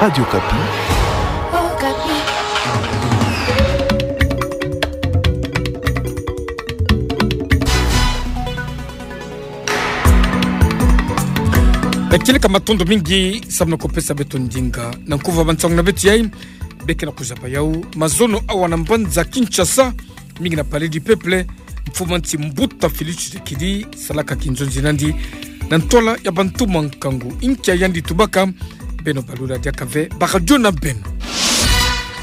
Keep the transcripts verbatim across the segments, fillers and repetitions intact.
Radio Okapi. Yakieleka, matondo mingi samu na kupesa beto ndinga na nkuvu ya bansangu na beto yai. Beke na kuzaba yau mazono awa na mbanza Kinshasa, mingi na Palais du Peuple, mfumu a nsi Mbuta Félix Tshisekedi salaka kinzonzi nandi na ntwala ya bantu mwa nkangu. Inkia yandi tubaka, beno balula diaka ve baradio na beno.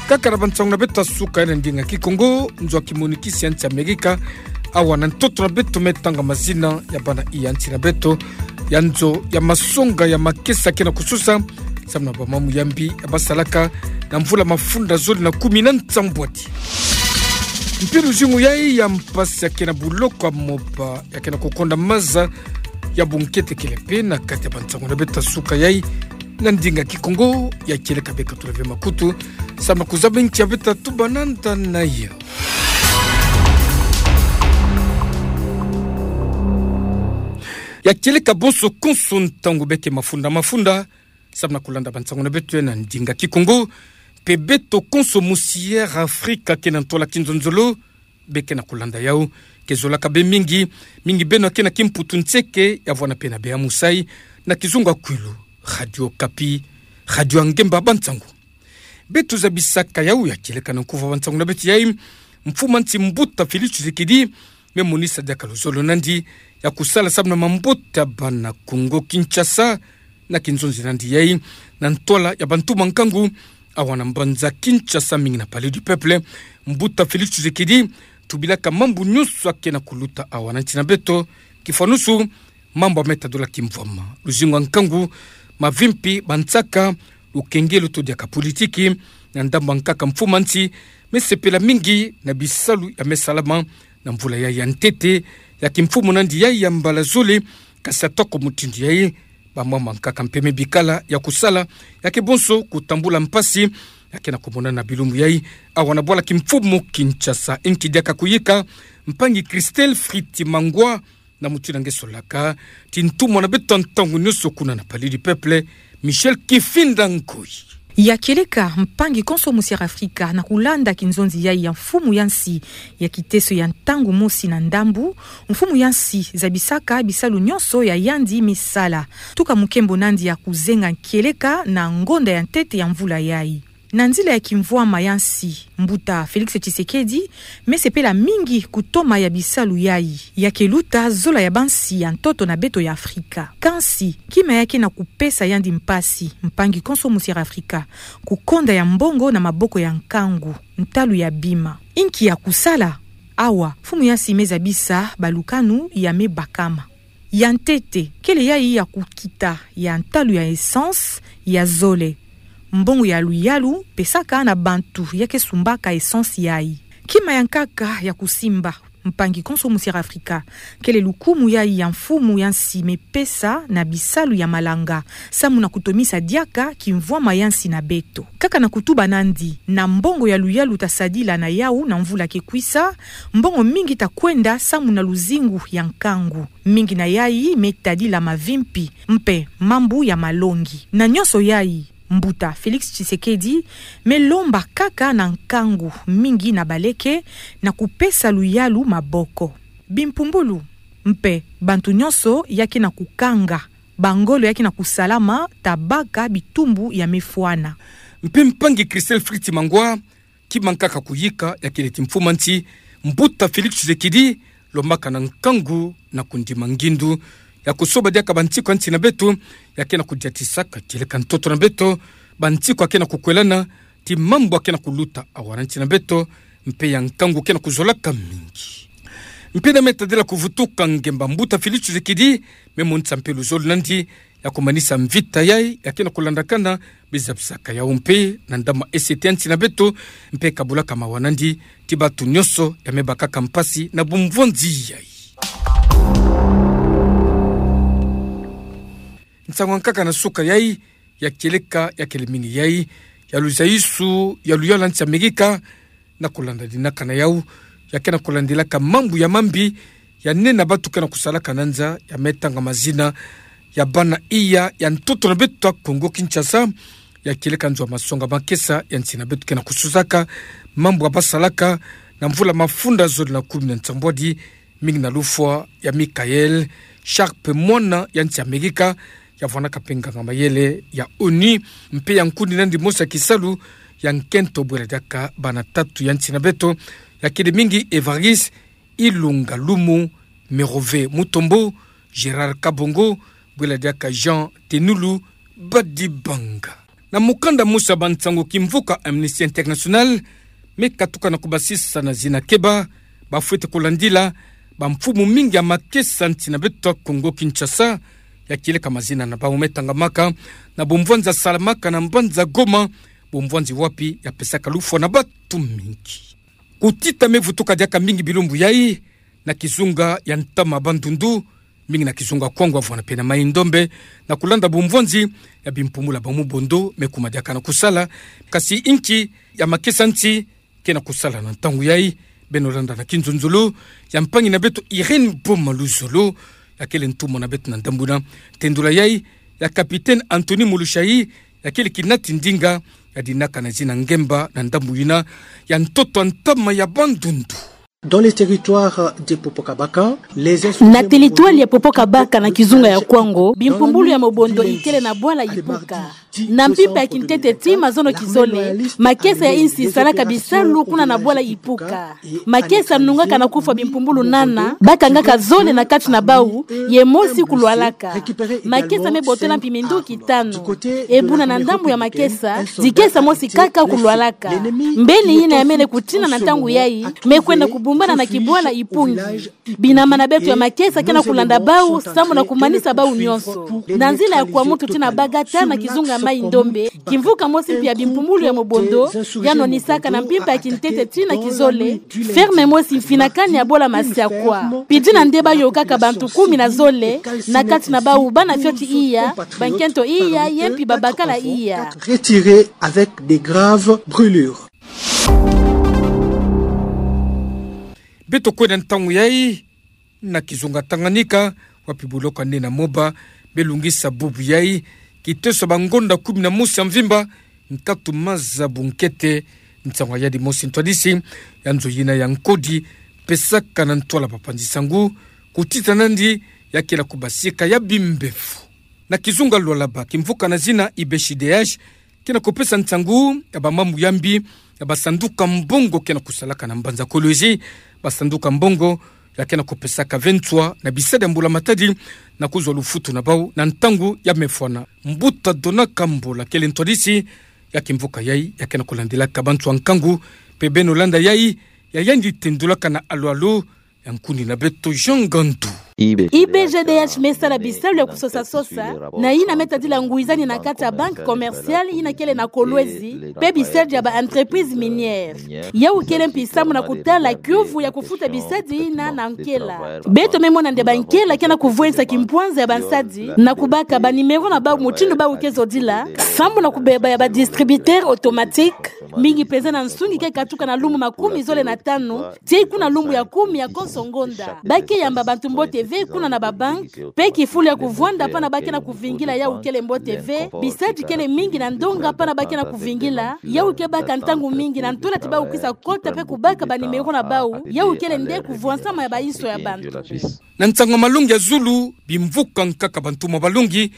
Kaka na bansangu na beto ya suka ya na ndinga Kikongo, nzo ya kimonikisi ya nsi Amerika awa na ntoto na beto me tanga mazina ya bana iya nsi na beto ya nzo ya masonga ya makesa ke na kususa samu na bamambu ya mbi ya basalaka na mvula mafunda zole na kumi na nsambwadi. Mpe luzingu yai ya mpasi ya ke na buloko ya moba ya ke na kukonda maza ya bunkete kele mpe na kati ya bansangu na beto ya suka yai na ndinga Kikongo. Yakieleka, beka tula ve makutu samu na kuzaba inkia beto tuba nanda na yau. Yakieleka bonso konso ntangu beke mafunda mafunda samu na kulanda bansangu na beto yai na ndinga Kikongo, mpe beto konso musi Air Africa ke na ntwala kinzonzolo, beke na kulanda yau. Ke zolaka be mingi, mingi beno ya ke na kimputu nseke ya vwanda mpe na bê ya musai na kizunga kwilu. Radio Okapi, radio ya ngemba bansangu. Beto zabisaka yau yakieleka na nkuvu ya bansangu na beto yai, mfumu a nsi Mbuta Félix Tshisekedi me monisa diaka luzolo nandi ya kusala samu na mambote ya bana Kongo Kinshasa na kinzonzi nandi yai na ntwala ya bantu mwa nkangu awa na mbanza Kinshasa, mingi na Palais du Peuple. Mbuta Félix Tshisekedi tubilaka mambu nyonso ya ke na kuluta awa na nsi na beto, kifwanusu mambu ya me tadula kimvwama, luzingu ya nkangu, mavimpi, bansaka, lukengelo to diaka politiki. Na ndambu ya nkaka, mfumu a nsi me sepela mingi na bisalu ya me salama na mvula yai ya ntete ya kimfumu nandi yai ya mbala zole. Kasi atako mutindu yai, bamwamba nkaka mpe me bikala ya kusala ya ke bonso kutambula mpasi ya ke na kumonana na bilumbu yai awa na bwala kimfumu Kinshasa. Inki diaka kuyika mpangi Christelle Fritz Mangwa na mutindu nge solaka ti ntumwa na beto ntangu nyonso kuna na Palais du Peuple, Michel Kifinda Ngoi. Yakieleka, mpangi konso musi Air Africa, na kulanda kinzonzi yai ya mfumu ya nsi ya kiteso ya ntangu mosi na ndambu, mfumu ya nsi zabisaka bisalu nyonso ya yandi me sala tuka mukembo nandi ya kuzenga kieleka na ngonda ya ntete ya mvula yai. Na nzila ya kimvwama ya nsi, Mbuta Félix Tshisekedi me sepela mingi kutoma ya bisalu yai ya ke luta zola ya bansi ya ntoto na beto ya Afrika. Kansi, kima ya ke na kupesa yandi mpasi, mpangi konso musi Air Africa, kukonda ya mbongo na maboko ya nkangu, ntalu ya bima. Inki ya kusala? Awa, mfumu ya nsi me zabisa balukanu ya me bakama. Ya ntete, kele yai ya kukita ya ntalu ya essence, ya zole, mbongo ya luyalu pesaka na bantu ya ke sumbaka essence yai. Kima ya nkaka ya kusimba, mpangi konso musi Air Africa, kele lukumu yai ya mfumu ya nsi me pesa na bisalu ya malanga, samu na kutomisa diaka kimvwama ya nsi na beto. Kaka na kutuba nandi, na mbongo ya luyalu ta sadila na yau na mvula ke kwisa, mbongo mingi ta kwenda samu na luzingu ya nkangu. Mingi na yai me tadila mavimpi, mpe mambu ya malongi. Na nyonso yai, Mbuta Félix Tshisekedi me lomba kaka na nkangu mingi na baleke na kupesa luyalu maboko. Bimpumbulu, mpe bantu nyonso ya ke na kukanga bangolo ya ke na kusalama ta baka bitumbu ya me fwana. Mpe mpangi Christelle Fritz Mangwa, kima nkaka kuyika ya kele ti mfumu a nsi, Mbuta Félix Tshisekedi, lombaka na nkangu na kundima ngindu ya kusoba diaka bansiku ya nsi na beto ya ke na kudiatisaka kieleka ntoto na beto, bansiku ya ke na kukwelana, ti mambu ya ke na kuluta awa na nsi na beto, mpe ya nkangu ke na kuzolaka mingi. Mpe na me tadila kuvutuka ngemba, Mbuta Félix Tshisekedi me monisa mpe luzolo nandi ya kumanisa mvita yai ya ke na kulandakana, bizabisaka yau mpe na ndama esete ya nsi na beto, mpe kabulaka mawa nandi ti bantu nyonso ya me bakaka mpasi na bumvonzi yai. Nsangu ya nkaka na suka yai, ya kieleka ya kele mingi yai, ya luzaisu ya luyalu ya nsi Amerika, na kulandaninaka na yau, ya ke na kulandilaka mambu ya mambi, ya nene na bantu ke na kusalaka na nza, ya me tanga mazina ya bana iya ya ntoto na beto ya Kongo Kinshasa, ya kieleka nzo ya masonga makesa ya nsi na beto ke na kusosaka mambu ya basalaka na mvula mafunda zole na kumi na nsambwadi, mingi na lufwa ya Michaël Sharp, mwana ya nsi Amerika, ya vwanaka mpe nganga-mayele ya ONU, mpe ya nkundi na yandi mosi ya kisalu ya nkento bwela diaka bana tatu ya nsi na beto, ya kele mingi Évariste Ilunga Lumu, Merove Mutombo, Gérard Kabongo, bwela diaka Jean Tenulu Badibanga. Na mukanda mosi ya bansango, kimvuka Amnesty International me katuka na kubasisa na zina keba bafwete kulandila bamfumu mingi ya makesa nsi na beto ya Congo Kinshasa, ya kieleka mazina na bau me tangamaka na bumvwanzi ya salamaka na mbanza Goma, bumvwanzi wapi ya pesaka lufwa na batu mingi. Kutita me vutuka diaka mingi bilumbu yai na kizunga ya ntama Bandundu, mingi na kizunga Kwango, vwana mpe na Mai-Ndombe, na kulanda bumvwanzi ya bimpumbulu ya bamubondo me kuma diaka na kusala. Kasi inki ya makesa nsi ke na kusala na ntangu yai? Beno landa na kinzonzolo ya mpangi na beto Irène Boma Luzolo, ya kele ntumwa na beto na ndambu yina. Tendula yai ya Capitaine Anthony Mulushai, ya kele kinati ndinga, ya dinaka na zina ngemba na ndambu yina ya ntoto ya ntama ya Bandundu. Dans les territoires de Popo-Kabaka, les insurgés... Na territoire ya Popo-Kabaka na kizunga ya Kwango, bimpumbulu ya mobondo ikele na bwala ipuka. Na mpimpa ya kintete tii mazono kizole, makesa ya insi salaka bisalu kuna na bwala ipuka. Makesa nungaka na kufwa bimpumbulu nana, bakangaka zole na kati na bau, ye mosi kulwalaka. Makesa me botola mpi minduki tanu. E buna na ndambu ya makesa, dikesa mosi kaka kulwalaka. Mbeni yina ya mene kutina na ntangu yai, me kwenda kubumbana na kibwala ipungi. Binama na beto ya makesa ke na kulanda bau, samu na kumanisa bau nyonso. Na nzila ya Kwamutu tii na Bagata na kizunga ya Mai-Ndombe, kimvuka mosi mpi ya bimpumbulu ya mobondo ya nonisaka na mpimpa ya kintete tii na kizole, ferme mosi mfinakani ya bola masiakwa. Pidina nde bayokaka bantu kumi na zole, na kati na bau bana fioti iya, bankento iya, ye mpi babakala iya. Retirés avec des graves brûlures. Beto kwenda ntangu yai na kizunga Tanganyika, wapi buloko ya nne na moba belungisa bubu yai, kiteso ya bangonda kumi na mosi ya mvimba, nkatu maza bunkete, nsangu ya yadi mosi ntwadisi ya nzo yina ya nkodi pesaka na ntwala bapanzi nsangu, kutita nandi ya kela kubasika ya bimbevo. Na kizunga Lualaba, kimvuka na zina I B C D H ke na kupesa nsangu ya bamambu ya mbi ya basanduka mbongo ke na kusalaka na mbanza Kolwezi. Basanduka mbongo ya ke na kupesaka ve nswa na bisadi ya mbula matadi na kuzwa lufutu na bau na ntangu ya mefwana. Mbuta Dona Kambola kele ntwadisi ya kimvuka yai ya ke na kulandilaka banswa nkangu, mpe beno landa yai ya yandi tendulaka na alu-alu ya nkundi na beto Jean Ngandu. I B C D H me sala bisalu ya kusosa-sosa na yina me tadila ngwizani na kati ya banque commerciale yina kele na Kolwezi, mpe bisalu ya ba entreprises minières. Yau kele mpi samu na kutala kiuvu ya kufuta bisadi yina na nkela. Beto me mona nde bankela ke na kuvwensa kimpwanza ya bansadi na kubaka ba numéro na bau mutindu bau ke zodila, samu na kubeba ya ba distributeurs automatiques, mingi mpenza na nsungi ke katuka na lumbu makumi zole na tanu, tii kuna lumbu ya kumi ya konso ngonda. Ba ke yamba bantu mbote ve kuna na ba banques, mpe kifulu ya kuvwanda pana ba ke na kuvingila yau kele mbote ve, bisadi kele mingi na ndonga pana ba ke na kuvingila, yau ke baka ntangu mingi na ntwala ti bau kwisa kota mpe kubaka ba numéro na bau, yau kele nde kuvwansama ya ba inso ya bantu. Na nsangu ya malongi ya zulu, bimvuka nkaka bantumwa balongi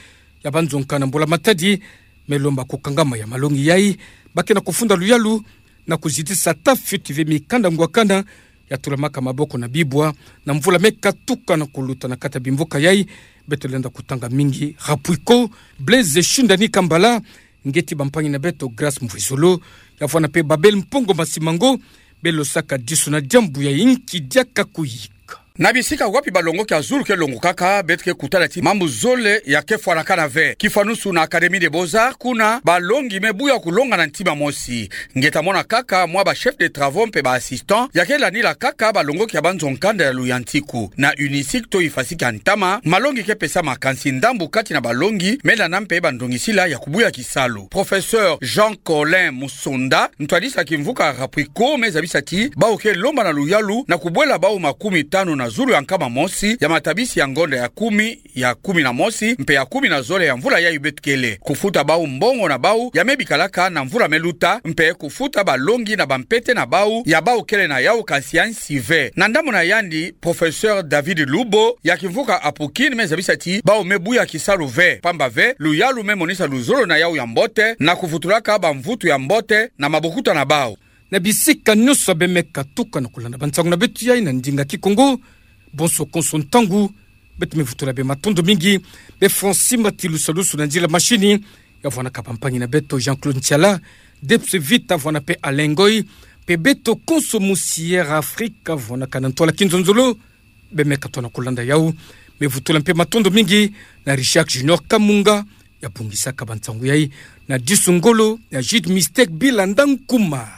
ya banzonka na mbula matadi, me lomba kukangama ya malongi yai, ba ke na kufunda luyalu na kuzitisa ata fioti ve mikanda ngwakana ya tulamaka maboko na bibwa na mvula me katuka na kuluta na kati ya bimvuka yai. Beto lenda kutanga mingi. Rapuiko, Blaise Shindani Kambala, ngeti bampangi na beto Grace Mvwizolo, ya vwana mpe Babel Mpongo Masimango, belosaka diso na diambu yai, nki diaka kuyika. Na bisika wapi balongoki ya zulu ke longokaka, beto ke kutala ti mambu zole ya ke fwanakana ve. Kifwanusu na Académie des Beaux-Arts, kuna balongi me buya kulonga na ntima mosi. Nge ta mona kaka mwa ba chefs de travaux mpe ba assistants ya ke landila kaka balongoki ya banzo nkanda ya luyantiku. Na UNISIC to Ifasika ntama, malongi ke pesama, kansi ndambu kati na balongi me landa mpe bandongisila ya kubuya kisalu. Professeur Jean Colin Musonda, ntwadisi ya kimvuka Rapuiko, me zabisa ti bau ke lomba na luyalu na kubwela bau makumi tanu na zulu ya nkama mosi ya matabisi ya ngonda ya kumi, ya kumi na mosi mpe ya kumi na zole ya mvula yayi beto kele. Kufuta bau mbongo na bau ya me bikalaka na mvula me luta, mpe kufuta balongi na bampete na bau ya bau kele na yau kansi ya nsi ve. Na ndamuna yandi, Professeur David Lubo ya kimvuka Apukin me zabisa ti bau me buya kisalu ve, pamba ve luyalu me monisa luzolo na yau ya mbote na kuvutulaka bamvutu ya mbote na mabokuta na bau. Na bisika nyonso bemeka tuka na kulanda bansangu na beto yayi na ndinga Kikongo, bonso konso ntangu, beto me vutula bê matondo mingi. Bê Francis Matilusalusu na nzila mashini, ya vwanaka bampangi na beto Jean-Claude Ntiala, Debs Vita vwana mpe Alain Ngoy, mpe beto konso mu Sierra Africa vwanaka na ntwala kinzonzolo, bemeka tona kulanda yau. Me vutula mpe matondo mingi na Richard Junior Kamunga, ya bungisaka bansangu yayi, na disu ngolo ya Jude Mistake Bila Ndankuma.